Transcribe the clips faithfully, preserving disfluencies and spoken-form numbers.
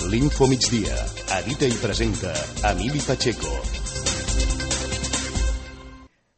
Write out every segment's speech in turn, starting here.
L'Infomigdia. Edita i presenta Emili Pacheco.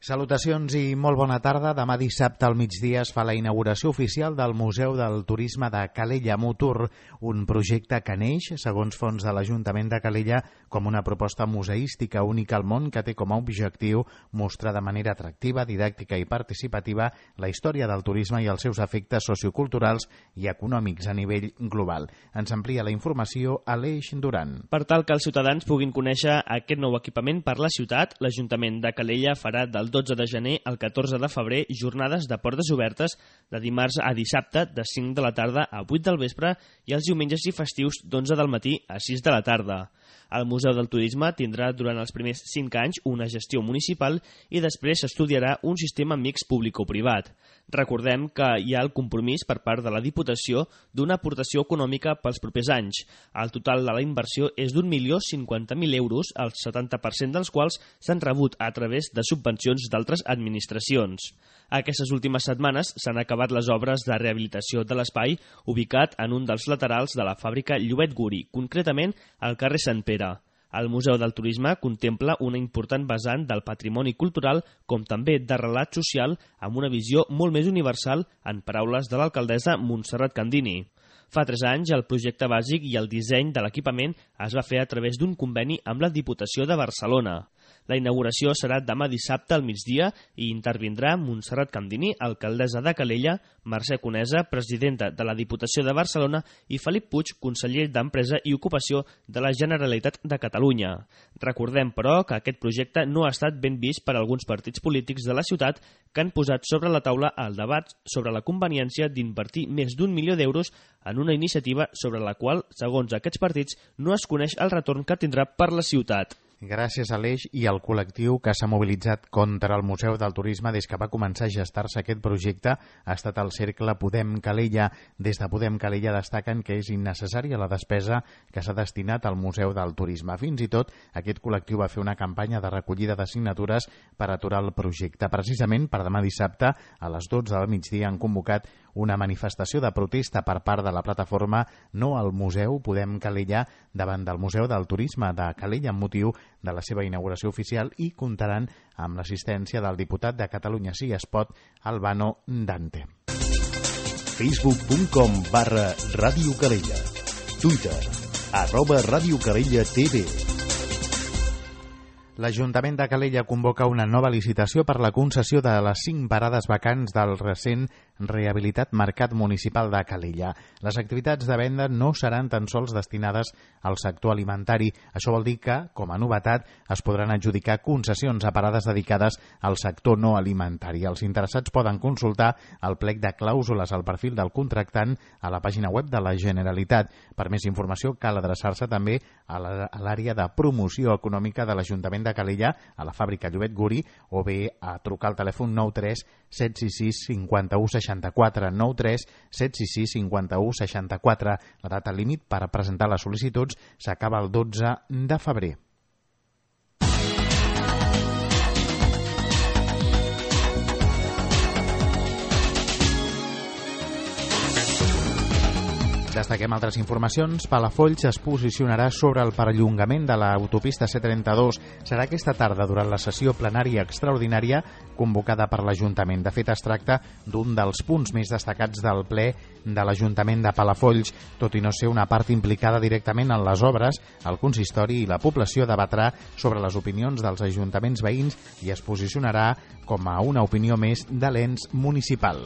Salutacions i molt bona tarda. Demà dissabte al migdia es fa la inauguració oficial del Museu del Turisme de Calella Mutur, un projecte que neix, segons fons de l'Ajuntament de Calella, com una proposta museística única al món que té com a objectiu mostrar de manera atractiva, didàctica i participativa la història del turisme i els seus efectes socioculturals i econòmics a nivell global. Ens amplia la informació Aleix Duran. Per tal que els ciutadans puguin conèixer aquest nou equipament per la ciutat, l'Ajuntament de Calella farà del dotze de gener al catorze de febrer jornades de portes obertes de dimarts a dissabte de cinc de la tarda a vuit del vespre i els diumenges i festius d'onze del matí a sis de la tarda. El Museu del Turisme tindrà durant els primers cinc anys una gestió municipal i després s'estudiarà un sistema mixt públic-privat. Recordem que hi ha el compromís per part de la Diputació d'una aportació econòmica pels propers anys. El total de la inversió és d'un milió cinquanta mil euros, el setanta per cent dels quals s'han rebut a través de subvencions d'altres administracions. Aquestes últimes setmanes s'han acabat les obres de rehabilitació de l'espai ubicat en un dels laterals de la fàbrica Llobet Guri, concretament al carrer Sant Pere. El Museu del Turisme contempla una important vessant del patrimoni cultural com també de relat social amb una visió molt més universal, en paraules de l'alcaldessa Montserrat Candini. Fa tres anys el projecte bàsic i el disseny de l'equipament es va fer a través d'un conveni amb la Diputació de Barcelona. La inauguració serà demà dissabte al migdia i intervindrà Montserrat Candini, alcaldessa de Calella, Mercè Conesa, presidenta de la Diputació de Barcelona i Felip Puig, conseller d'Empresa i Ocupació de la Generalitat de Catalunya. Recordem, però, que aquest projecte no ha estat ben vist per alguns partits polítics de la ciutat que han posat sobre la taula el debat sobre la conveniència d'invertir més d'un milió d'euros en una iniciativa sobre la qual, segons aquests partits, no es coneix el retorn que tindrà per la ciutat. Gràcies a l'Eix i al col·lectiu que s'ha mobilitzat contra el Museu del Turisme des que va començar a gestar-se aquest projecte ha estat el cercle Podem Calella. Des de Podem Calella destaquen que és innecessària la despesa que s'ha destinat al Museu del Turisme. Fins i tot aquest col·lectiu va fer una campanya de recollida de signatures per aturar el projecte. Precisament per demà dissabte a les dotze del migdia han convocat una manifestació de protesta per part de la plataforma No al Museu Podem Calella davant del Museu del Turisme de Calella amb motiu de la seva inauguració oficial i comptaran amb l'assistència del diputat de Catalunya Sí es Pot, Albano Dante. Facebook punt com barra Ràdio Calella. Twitter, arroba Ràdio Calella T V. L'Ajuntament de Calella convoca una nova licitació per la concessió de les cinc parades vacants del recent rehabilitat Mercat Municipal de Calella. Les activitats de venda no seran tan sols destinades al sector alimentari. Això vol dir que, com a novetat, es podran adjudicar concessions a parades dedicades al sector no alimentari. Els interessats poden consultar el plec de clàusules al perfil del contractant a la pàgina web de la Generalitat. Per més informació cal adreçar-se també a l'àrea de promoció econòmica de l'Ajuntament de Calella, a la fàbrica Llobet Guri, o bé a trucar al telèfon nou tres set sis sis cinquanta-u seixanta-quatre, nou tres set sis sis cinquanta-u seixanta-quatre. La data límit per presentar les sol·licituds s'acaba el dotze de febrer. Destaquem altres informacions. Palafolls es posicionarà sobre el perllongament de l'autopista C trenta-dos. Serà aquesta tarda durant la sessió plenària extraordinària convocada per l'Ajuntament. De fet, es tracta d'un dels punts més destacats del ple de l'Ajuntament de Palafolls. Tot i no ser una part implicada directament en les obres, el consistori i la població debatrà sobre les opinions dels ajuntaments veïns i es posicionarà com a una opinió més de l'ens municipal.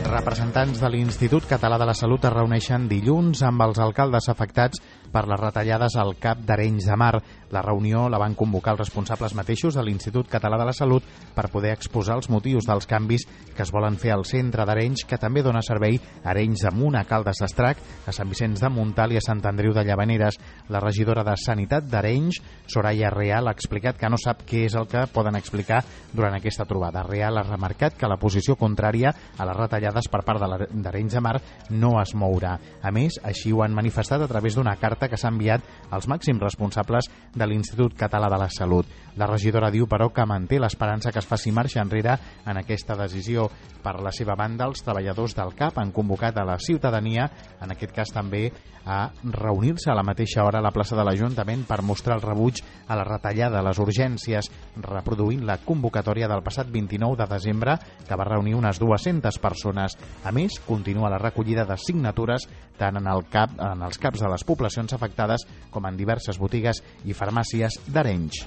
Representants de l'Institut Català de la Salut es reuneixen dilluns amb els alcaldes afectats per les retallades al CAP d'Arenys de Mar. La reunió la van convocar els responsables mateixos de l'Institut Català de la Salut per poder exposar els motius dels canvis que es volen fer al centre d'Arenys, que també dona servei a Arenys de Munt, a Caldes d'Estrac, a Sant Vicenç de Montalt i a Sant Andreu de Llavaneres. La regidora de Sanitat d'Arenys, Soraya Real, ha explicat que no sap què és el que poden explicar durant aquesta trobada. Real ha remarcat que la posició contrària a les retallades per part d'Arenys de Mar no es mourà. A més, així ho han manifestat a través d'una carta carta que s'ha enviat als màxims responsables de l'Institut Català de la Salut. La regidora diu, però, que manté l'esperança que es faci marxa enrere en aquesta decisió. Per la seva banda, els treballadors del C A P han convocat a la ciutadania, en aquest cas també, a reunir-se a la mateixa hora a la plaça de l'Ajuntament per mostrar el rebuig a la retallada a les urgències, reproduint la convocatòria del passat vint-i-nou de desembre, que va reunir unes dues-centes persones. A més, continua la recollida de signatures tant en, el cap, en els caps de les poblacions afectades com en diverses botigues i farmàcies d'Arenys.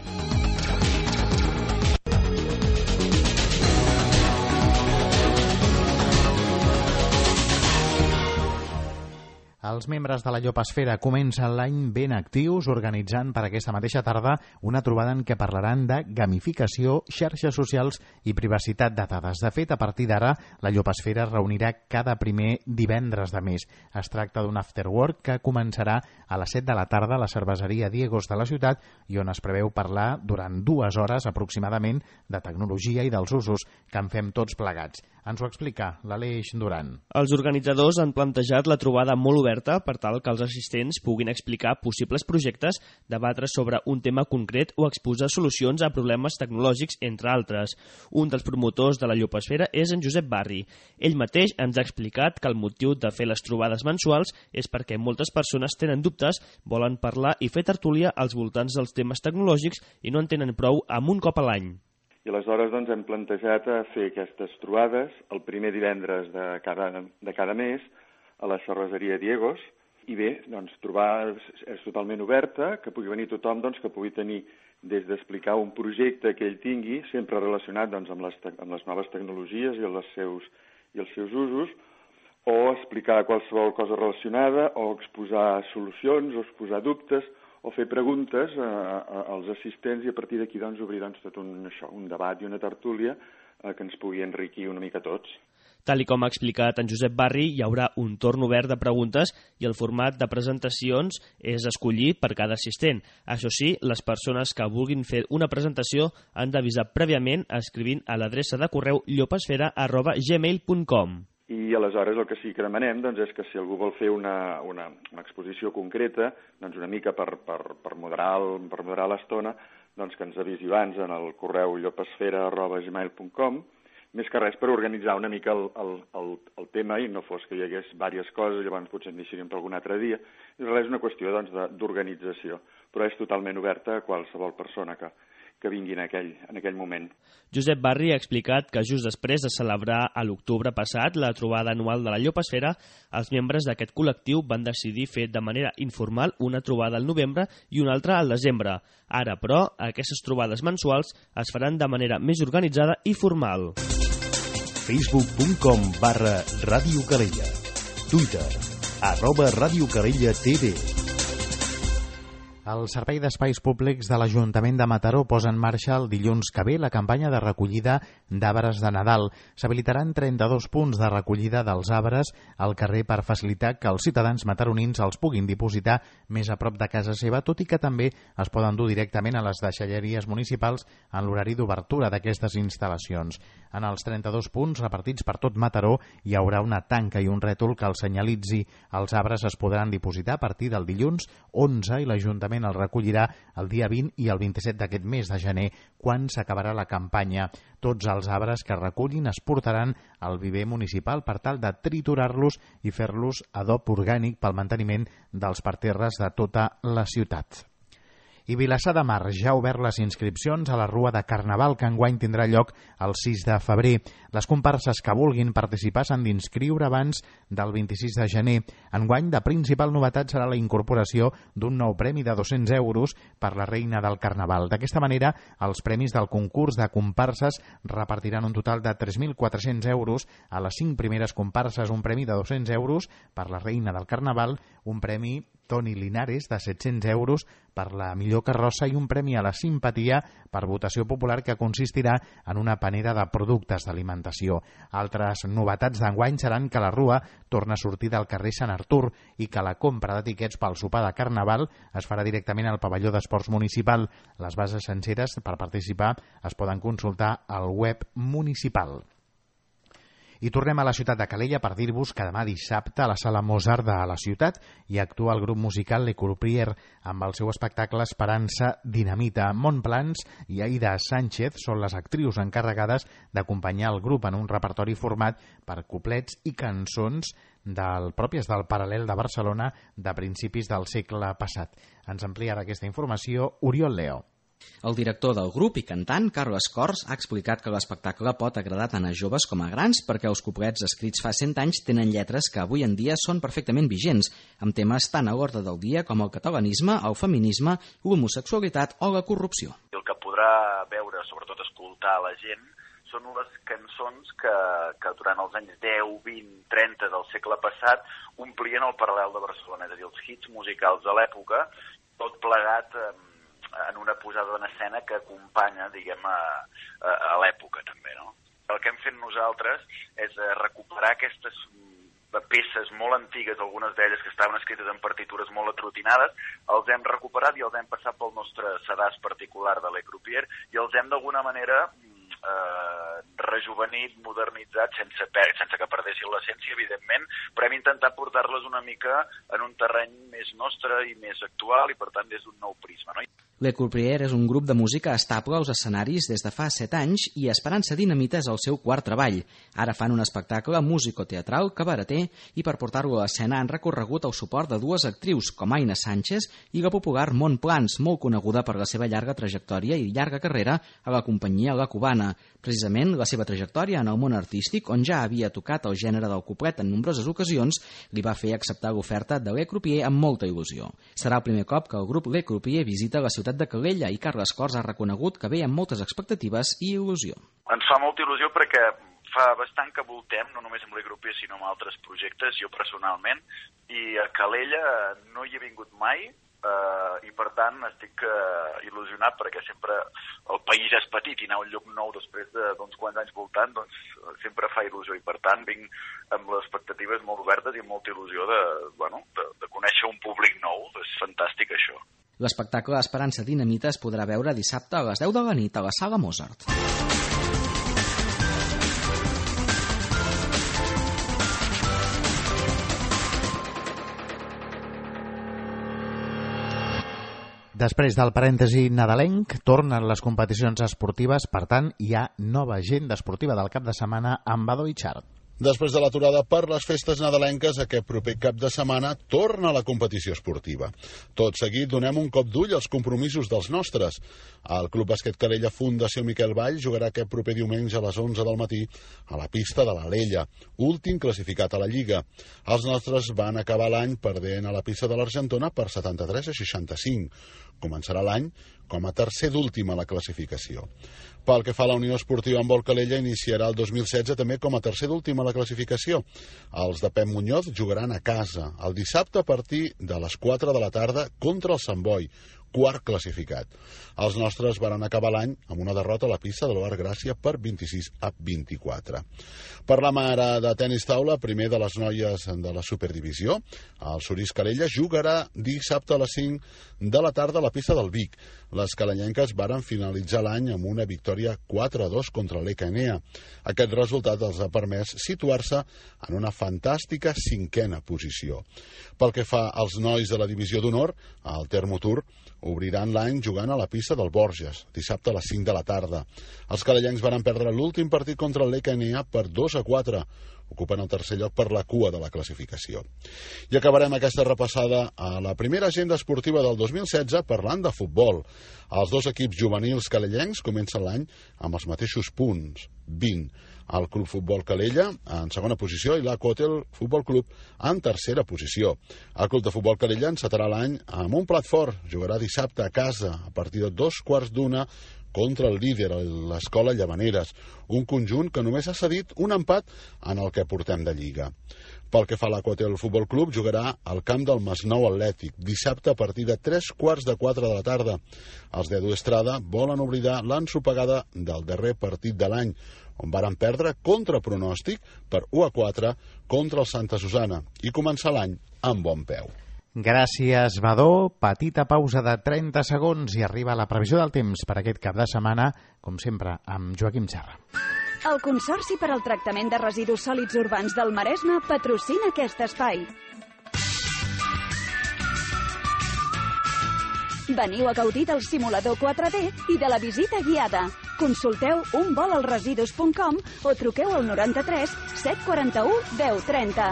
Els membres de la Llopesfera comencen l'any ben actius, organitzant per aquesta mateixa tarda una trobada en què parlaran de gamificació, xarxes socials i privacitat de dades. De fet, a partir d'ara, la Llopesfera es reunirà cada primer divendres de mes. Es tracta d'un afterwork que començarà a les set de la tarda a la cerveseria Diegos de la ciutat i on es preveu parlar durant dues hores aproximadament de tecnologia i dels usos que en fem tots plegats. Ens ho explica l'Aleix Duran. Els organitzadors han plantejat la trobada molt oberta per tal que els assistents puguin explicar possibles projectes, debatre sobre un tema concret o exposar solucions a problemes tecnològics, entre altres. Un dels promotors de la Llopesfera és en Josep Barri. Ell mateix ens ha explicat que el motiu de fer les trobades mensuals és perquè moltes persones tenen dubtes, volen parlar i fer tertúlia als voltants dels temes tecnològics i no en tenen prou amb un cop a l'any. I aleshores doncs, hem plantejat a fer aquestes trobades el primer divendres de cada, de cada mes a la cerveseria Diegos. I bé, doncs, trobar és totalment oberta, que pugui venir tothom, doncs, que pugui tenir des d'explicar un projecte que ell tingui, sempre relacionat doncs, amb, les amb les noves tecnologies i els seus, i els seus usos, o explicar qualsevol cosa relacionada, o exposar solucions, o exposar dubtes, o fer preguntes a, a, als assistents i a partir d'aquí doncs, obrir doncs, tot un, això, un debat i una tertúlia eh, que ens pugui enriquir una mica tots. Tal i com ha explicat en Josep Barri, hi haurà un torn obert de preguntes i el format de presentacions és escollit per cada assistent. Això sí, les persones que vulguin fer una presentació han d'avisar prèviament escrivint a l'adreça de correu llopesfera arroba gmail punt com. I aleshores el que sí que demanem doncs, és que si algú vol fer una, una, una exposició concreta, doncs una mica per, per, per moderar el, per moderar l'estona, doncs que ens avisi abans en el correu llopesfera arroba gmail punt com, més que res per organitzar una mica el, el, el, el tema i no fos que hi hagués diverses coses, llavors potser en deixaríem per algun altre dia. I res, és una qüestió doncs, d'organització, però és totalment oberta a qualsevol persona que, que vingui en aquell, en aquell moment. Josep Barri ha explicat que just després de celebrar a l'octubre passat la trobada anual de la Llopesfera, els membres d'aquest col·lectiu van decidir fer de manera informal una trobada al novembre i una altra al desembre. Ara, però, aquestes trobades mensuals es faran de manera més organitzada i formal. facebook punt com barra Ràdio Calella. Twitter, arroba Ràdio Calella T V. El Servei d'Espais Públics de l'Ajuntament de Mataró posa en marxa el dilluns que ve la campanya de recollida d'arbres de Nadal. S'habilitaran trenta-dos punts de recollida dels arbres al carrer per facilitar que els ciutadans mataronins els puguin dipositar més a prop de casa seva, tot i que també es poden dur directament a les deixalleries municipals en l'horari d'obertura d'aquestes instal·lacions. En els trenta-dos punts repartits per tot Mataró hi haurà una tanca i un rètol que els senyalitzi. Els arbres es podran dipositar a partir del dilluns onze i l'Ajuntament el recollirà el dia vint i el vint-i-set d'aquest mes de gener, quan s'acabarà la campanya. Tots els arbres que recullin es portaran al viver municipal per tal de triturar-los i fer-los adob orgànic pel manteniment dels parterres de tota la ciutat. I Vilassar de Mar ja ha obert les inscripcions a la Rua de Carnaval, que enguany tindrà lloc el sis de febrer. Les comparses que vulguin participar s'han d'inscriure abans del vint-i-sis de gener. Enguany, la principal novetat serà la incorporació d'un nou premi de dos-cents euros per la Reina del Carnaval. D'aquesta manera, els premis del concurs de comparses repartiran un total de tres mil quatre-cents euros a les cinc primeres comparses, un premi de dos-cents euros per la Reina del Carnaval, un premi Toni Linares de set-cents euros per la millor carrossa i un premi a la simpatia per votació popular que consistirà en una panera de productes d'alimentació. Altres novetats d'enguany seran que la Rua torna a sortir del carrer Sant Artur i que la compra de tiquets pel sopar de Carnaval es farà directament al pavelló d'esports municipal. Les bases senceres per participar es poden consultar al web municipal. I tornem a la ciutat de Calella per dir-vos que demà dissabte a la Sala Mozart de la ciutat hi actua el grup musical Le Courrier amb el seu espectacle Esperança Dinamita. Montplans i Aida Sánchez són les actrius encarregades d'acompanyar el grup en un repertori format per couplets i cançons del pròpies del Paral·lel de Barcelona de principis del segle passat. Ens amplia aquesta informació Oriol Leo. El director del grup i cantant, Carles Cors, ha explicat que l'espectacle pot agradar tant a joves com a grans perquè els couplets escrits fa cent anys tenen lletres que avui en dia són perfectament vigents, amb temes tan a l'ordre del dia com el catalanisme, el feminisme, l'homosexualitat o la corrupció. El que podrà veure, sobretot escoltar la gent, són les cançons que, que durant els anys deu, vint, trenta del segle passat omplien el Paral·lel de Barcelona, és a dir, els hits musicals de l'època, tot plegat eh, en una posada en escena que acompanya, diguem, a, a, a l'època també, no? El que hem fet nosaltres és recuperar aquestes peces molt antigues, algunes d'elles que estaven escrites en partitures molt atrotinades, els hem recuperat i els hem passat pel nostre sedàs particular de Le Courrier i els hem d'alguna manera eh, rejuvenit, modernitzat, sense, per, sense que perdessin l'essència, evidentment, però hem intentat portar-les una mica en un terreny més nostre i més actual i, per tant, des d'un nou prisma, no? Le Courrier és un grup de música estable als escenaris des de fa set anys i Esperança Dinamita és el seu quart treball. Ara fan un espectacle musicoteatral cabareter i per portar-lo a l'escena han recorregut el suport de dues actrius com Aina Sánchez i la popular Montplans, molt coneguda per la seva llarga trajectòria i llarga carrera a la companyia La Cubana. Precisament la seva trajectòria en el món artístic, on ja havia tocat el gènere del couplet en nombroses ocasions, li va fer acceptar l'oferta de Le Courrier amb molta il·lusió. Serà el primer cop que el grup Le Courrier visita la ciutat de Calella i Carles Cors ha reconegut que ve amb moltes expectatives i il·lusió. Ens fa molta il·lusió perquè fa bastant que voltem, no només amb Le Courrier sinó amb altres projectes, jo personalment, i a Calella no hi he vingut mai, Uh, i per tant estic uh, il·lusionat perquè sempre el país és petit i anar a un lloc nou després d'uns quants anys voltant doncs sempre fa il·lusió i per tant vinc amb les expectatives molt obertes i amb molta il·lusió de, bueno, de, de conèixer un públic nou. És fantàstic això. L'espectacle Esperança Dinamita es podrà veure dissabte a les deu de la nit a la Sala Mozart. Després del parèntesi nadalenc, tornen les competicions esportives, per tant, hi ha nova agenda esportiva del cap de setmana amb Badó i Xart. Després de l'aturada per les festes nadalenques, aquest proper cap de setmana torna la competició esportiva. Tot seguit donem un cop d'ull als compromisos dels nostres. El Club Bàsquet Calella Fundació Miquel Vall jugarà aquest proper diumenge a les onze del matí a la pista de l'Alella, últim classificat a la Lliga. Els nostres van acabar l'any perdent a la pista de l'Argentona per setanta-tres a seixanta-cinc. Començarà l'any com a tercer d'últim a la classificació. Pel que fa a la Unió Esportiva Handbol Calella, iniciarà el dos mil setze també com a tercer d'últim a la classificació. Els de Pep Muñoz jugaran a casa el dissabte a partir de les quatre de la tarda contra el Sant Boi, quart classificat. Els nostres van acabar l'any amb una derrota a la pista de l'Oar Gràcia per vint-i-sis a vint-i-quatre. Parlam ara de tenis taula, primer de les noies de la Superdivisió. El Sorís Calella jugarà dissabte a les cinc de la tarda a la pista del Vic. Les calallenques varen finalitzar l'any amb una victòria quatre a dos contra l'E K N A. Aquest resultat els ha permès situar-se en una fantàstica cinquena posició. Pel que fa als nois de la divisió d'honor, el Termotur obriran l'any jugant a la pista del Borges, dissabte a les cinc de la tarda. Els calallencs van perdre l'últim partit contra l'E K N A per dos a quatre, ocupen el tercer lloc per la cua de la classificació. I acabarem aquesta repassada a la primera agenda esportiva del dos mil setze parlant de futbol. Els dos equips juvenils calellencs comencen l'any amb els mateixos punts, vint. El Club Futbol Calella en segona posició i l'Aquahotel Futbol Club en tercera posició. El Club de Futbol Calella encetarà l'any amb un plat fort. Jugarà dissabte a casa a partir de dos quarts d'una contra el líder, l'Escola Llavaneres, un conjunt que només ha cedit un empat en el que portem de Lliga. Pel que fa a l'Aquahotel Futbol Club, jugarà al camp del Masnou Atlètic, dissabte a partir de tres quarts de quatre de la tarda. Els d'Edu Estrada volen oblidar l'ensopegada del darrer partit de l'any, on varen perdre contra pronòstic per u a quatre contra el Santa Susana i començar l'any amb bon peu. Gràcies, Badó. Petita pausa de trenta segons i arriba la previsió del temps per aquest cap de setmana, com sempre, amb Joaquim Serra. El Consorci per al Tractament de Residus Sòlids Urbans del Maresme patrocina aquest espai. Veniu a gaudir del simulador quatre D i de la visita guiada. Consulteu un vol als residus punt com o truqueu al noranta-tres set quaranta-u deu trenta.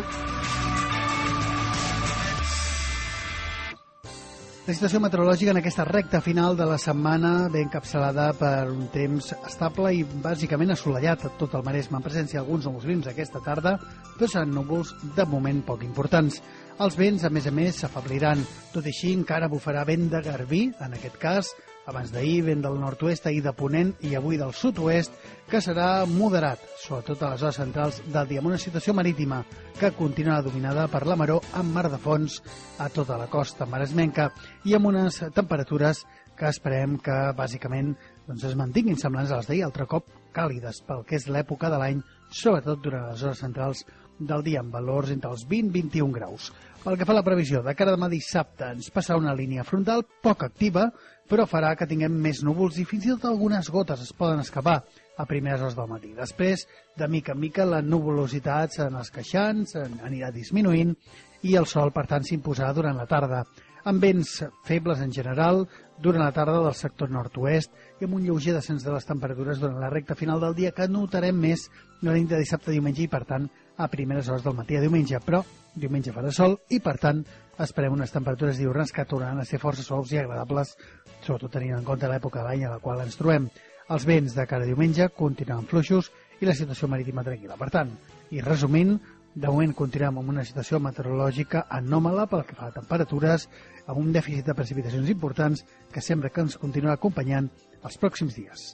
La situació meteorològica en aquesta recta final de la setmana ve encapçalada per un temps estable i bàsicament assolellat a tot el Maresme, en presència d'alguns núvols prims aquesta tarda, però seran núvols de moment poc importants. Els vents, a més a més, s'afebliran. Tot i així, encara bufarà vent de garbí, en aquest cas, abans d'ahir vent del nord-oest, ahir de ponent i avui del sud-oest, que serà moderat, sobretot a les zones centrals del dia, amb una situació marítima que continuarà dominada per la maró amb mar de fons a tota la costa maresmenca i amb unes temperatures que esperem que, bàsicament, doncs es mantinguin semblants a les d'ahir, altre cop càlides pel que és l'època de l'any, sobretot durant les hores centrals del dia, amb valors entre els vint i vint i un graus. Pel que fa a la previsió, de cara a demà dissabte ens passarà una línia frontal poc activa, però farà que tinguem més núvols i fins i tot algunes gotes es poden escapar a primeres hores del matí. Després, de mica en mica, la nuvolositat en els queixants anirà disminuint i el sol, per tant, s'imposarà durant la tarda, amb vents febles en general durant la tarda del sector nord-oest i amb un lleuger descens de les temperatures durant la recta final del dia que notarem més la nit de dissabte a diumenge i, per tant, a primeres hores del matí a diumenge. Però diumenge farà sol i, per tant, esperem unes temperatures diürnes que tornaran a ser força suaus i agradables, sobretot tenint en compte l'època de l'any a la qual ens trobem. Els vents de cara a diumenge continuen fluixos i la situació marítima tranquil·la. Per tant, i resumint, de moment continuem amb una situació meteorològica anòmala pel que fa a temperatures, amb un dèficit de precipitacions importants que sembla que ens continuarà acompanyant els pròxims dies.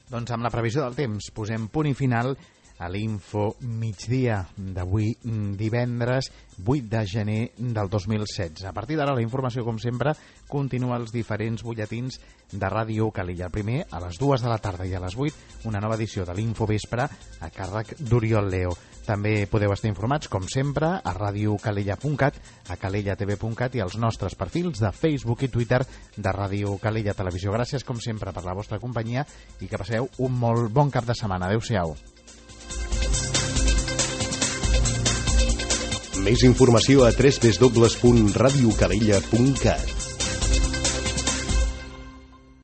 Doncs amb la previsió del temps posem punt i final a l'Info Migdia d'avui divendres vuit de gener del dos mil setze. A partir d'ara la informació, com sempre, continua als diferents butlletins de Ràdio Calella. El primer, a les dues de la tarda i a les vuit, una nova edició de l'Info Vespre a càrrec d'Oriol Leo. També podeu estar informats, com sempre, a radiocalella punt cat, a calella t v punt cat i als nostres perfils de Facebook i Twitter de Ràdio Calella Televisió. Gràcies, com sempre, per la vostra companyia i que passeu un molt bon cap de setmana. Adéu-siau. Més informació a w w w punt radiocalella punt cat.